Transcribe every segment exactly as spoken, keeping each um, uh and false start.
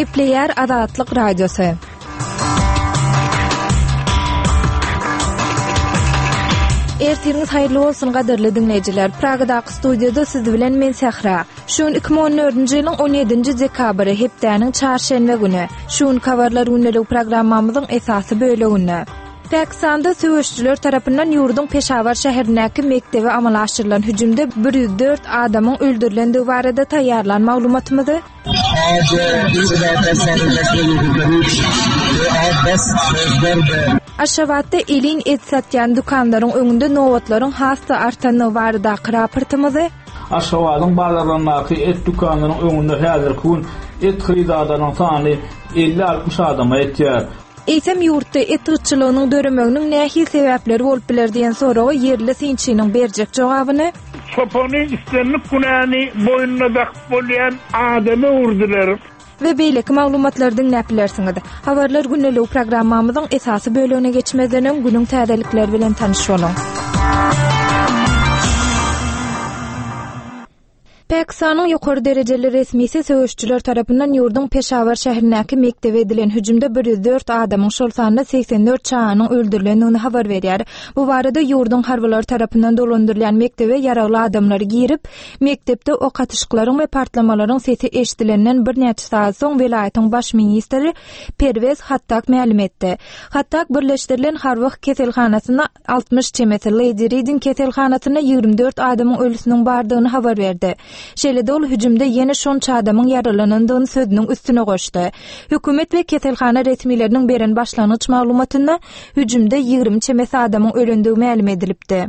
Gepleýär Azatlyk Radiosy. Ertiriňiz haýyrly bolsun gadyrly diňleýjiler. Pragadaky studiýada siz bilen men Sähra. Şu gün iki müň on dördünji ýylyň on ýedinji dekabry, hepdäniň çarşenbe güni. Şu gün habarlar gündelik programmamyzyň esasy böleginde. Pakistanda söweşçiler tarapyndan ýurduň Peşawar şäherindäki mekdebe amala aşyrylan hüjümde bir ýüz dört adamyň öldürilendigi barada taýýarlan maglumatymyzy Aşgabatda elin et satýan dükanlaryň öňünde nobatlaryň has-da artandygy baradaky raportymyzy Aşgabadyň bazarlaryndaky et dükanlaryň öňünde häzirki gün et hyrydarlarynyň sany elli-altmyş adama ýetýär. Eýsem ýurtda et gytçylygynyň döremeginiň nähili sebäpleri bolup biler diýen soraga ýerli synçynyň berjek jogabyny Çopany islendik günäni boýnuna dakyp bolýan adama öwürdiler. We beýleki maglumatlary diňläp bilersiňiz. Habarlar gündeligi programmamyzyň esasy bölegine geçmezden öň günüň täzelikleri bilen tanyş boluň. Pakistanyň ýokary derejeli resmisi söweşçiler tarapyndan ýurduň Peşawar şäherindäki mekdebe edilen hüjümde bir ýüz dört adamyň, şol sanda segsen dört çaganyň öldürilendigini habar berýär. Bu barada ýurduň harbylary tarapyndan dolandyrylýan mekdebe ýaragly adamlar girip, mekdepde ok atyşyklaryň we partlamalaryň sesi eşidilenden birnäçe sagat soň welaýatyň baş ministri Perwez Hattak mälim etdi. Hattak birleşdirilen harby keselhanasynda altmyş çemesi, Lady Reading keselhanasynda ýigrimi dört adamyň ölüsiniň bardygyny habar berdi. Şeýle-de ol hüjümde ýene şonça adamyň ýaralanandygyny sözüniň üstüne goşdy. Hökümet we keselhana resmileriniň beren başlangyç maglumatynda hüjümde ýigrimi çemesi adamyň ölendigi mälim edilipdi.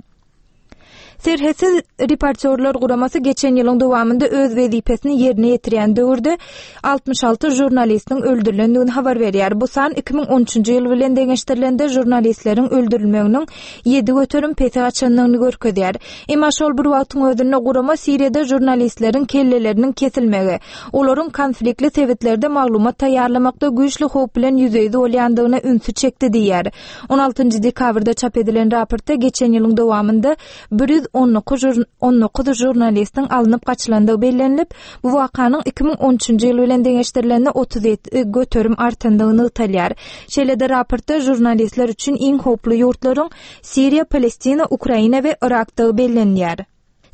Serhetsiz reportýorlar guramasy geçen ýylyň dowamynda öz wezipesini ýerine ýetirýän döwürde altmyş alty žurnalistiň öldürilendigini habar berýär. Bu san iki müň on üçünji ýyl bilen deňeşdirilende žurnalistleriň öldürilmeginiň ýedi göterim pese gaçandygyny görkezýär. Emma şol bir wagtyň özünde gurama Siriýada žurnalistleriň kelleleriniň kesilmegi, olaryň konfliktli sebitlerde maglumat taýýarlamakda güýçli howp bilen ýüzbe-ýüz bolýandygyna ünsi çekdi diýýär. On altynjy dekabrda çap edilen raportda geçen ýylyň dowamynda bir ýüz on dokuz žur-, on dokuz žurnalistiň alnyp gaçylandygy bellenilip, bu wakanyň iki müň on üçünji ýyl bilen deňeşdirilende otuz ýedi göterim artandygy nygtalýar. Şeýle-de raportda žurnalistler üçin iň howply ýurtlaryň Siriýa, Palestina, Ukraina we Yrakdygy bellenýär.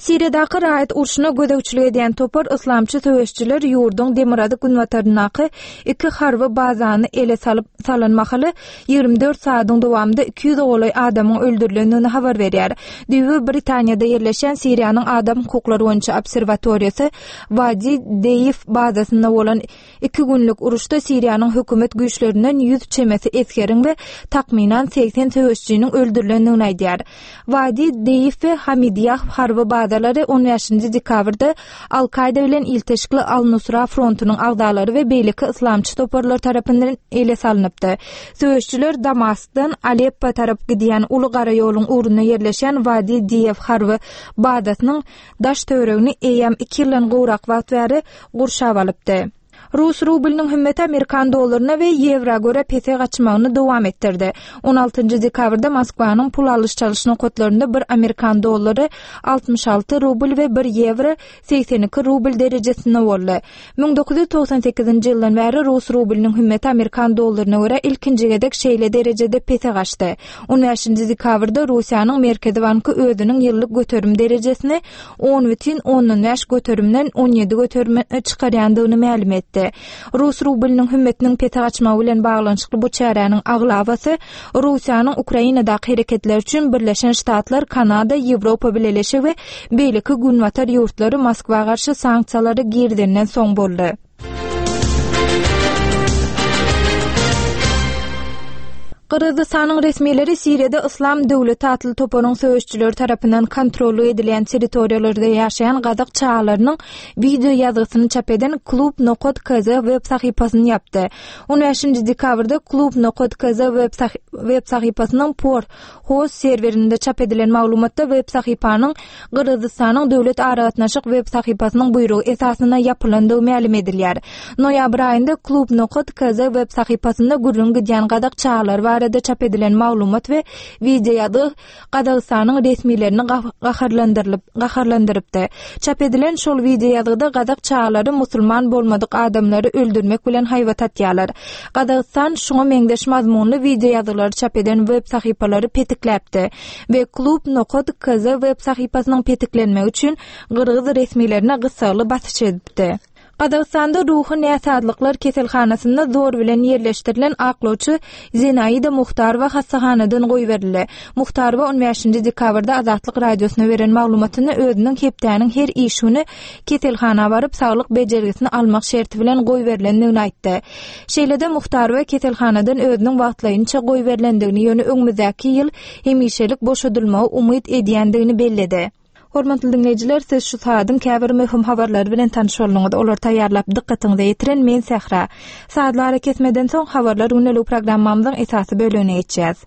Siriýadaky raýat urşuna gözegçilik edýän topar yslamçy söweşçiler ýurduň demirgazyk günbataryndaky iki harby bazany ele salyp salan mahaly ýigrimi dört sagadyň dowamynda iki ýüze golaý adamyň öldürilendigini habar berýär. Düýbi Britaniýada ýerleşýän Siriýanyň adam hukuklary boýunça obserwatoriýasy Wadi Deýif bazasynda bolan iki günlük uruşda Siriýanyň hökümet güýçlerinden ýüz çemesi esgeriň we takmynan segsen söweşçiniň öldürilendigini aýdýar. Wadi Deýif we Hamidiýah harby bazalary on bäşinji dekabrda Al-Kaýda bilen ilteşikli Al-Nusra frontunyň agzalary we beýleki yslamçy toparlar tarapyndan ele salnypdy. Söweşçiler Damaskdan Aleppo tarap gidýän uly gara ýoluň ugrunda ýerleşýän Wadi Deýef harby bazasynyň daş töweregini eýýäm iki ýyldan gowrak wagt bäri gurşap alypdy. Rus rublynyň hümmeti Amerikan dollaryna we ýewro görä pese gaçmagyny dowam etdirdi. On altynjy dekabrda Moskwanyň pul alyş-çalyş nokatlarynda bir Amerikan dollary altmyş alty rubl we bir ýewro segsen iki rubl derejesinde boldy. Müň dokuz ýüz togsan sekizinji ýyldan bäri rus rublynyň hümmeti Amerikan dollaryna görä ilkinji gezek şeýle derejede pese gaçdy. On bäşinji dekabrda Russiýanyň Merkezi banky özüniň ýyllyk göterim derejesini on bütin ondan bäş göterimden on ýedi göterime çykarýandygyny mälim etdi. Rus rublynyň hümmetiniň pese gaçmagy bilen baglanyşykly bu çäräniň aglabasy Russiýanyň Ukrainadaky hereketleri üçin Birleşen Ştatlar, Kanada, Ýewropa Bileleşigi we beýleki günbatar ýurtlary Moskwa garşy sanksiýalary girizenden soň boldy. Gyrgyzystanyň resmileri Siriýada Yslam döwleti atly toparyň söweşçileri tarapyndan kontrollyk edilýän territoriýalarda ýaşaýan gazak çagalarynyň video ýazgysyny çap eden klub nokat K Z web sahypasyny ýapdy. On bäşinji dekabrda klub nokat K Z web sah-, web sahypasynyň por host serwerinde çap edilen maglumatda web sahypanyň Gyrgyzystanyň döwlet aragatnaşyk web sahypasynyň buýrugy esasynda ýapylandygy mälim edilýär. Noýabr aýynda klub nokat K Z web sahypasynda gürrüň gidýän gazak çagalary barada barada çap edilen maglumat we wideoýazgy Gazagystanyň resmilerini gaharlandyrylyp gaharlandyrypdy. Çap edilen şol wideoýazgyda gazak çagalary musulman bolmadyk adamlary öldürmek bilen haýbat atýarlar. Gazagystan şuňa meňzeş mazmunly wideoýazgylary çap eden web sahypalary petikläpdi we klub nokat kz web sahypasynyň petiklenmegi üçin gyrgyz resmilerine gyssagly basyş edipdi. Gazagystanda ruhy näsazlyklar keselhanasynda zor bilen ýerleşdirilen aklawçy Zinaida Muhtarowa hassahanadan goýberildi. Muhtarowa on bäşinji dekabrda Azatlyk Radiosyna beren maglumatynda özüniň hepdäniň her iş güni keselhana baryp saglyk bejergisini almak şerti bilen goýberilendigini aýtdy. Şeýle-de Muhtarowa keselhanadan özüniň wagtlaýynça goýberilendigini, ýöne öňümizdäki ýyl hemişelik boşadylmagy umyt edýändigini belledi. Hormatly diňleýjiler, siz şu saadyň käbir möhüm habarlary bilen tanyş bolduňyz. Olary taýýarlap dykgatyňyza ýetiren men Sähra. Sazly arakesmeden soň habarlar gündelik programmamyzyň esasy bölegine geçýäs.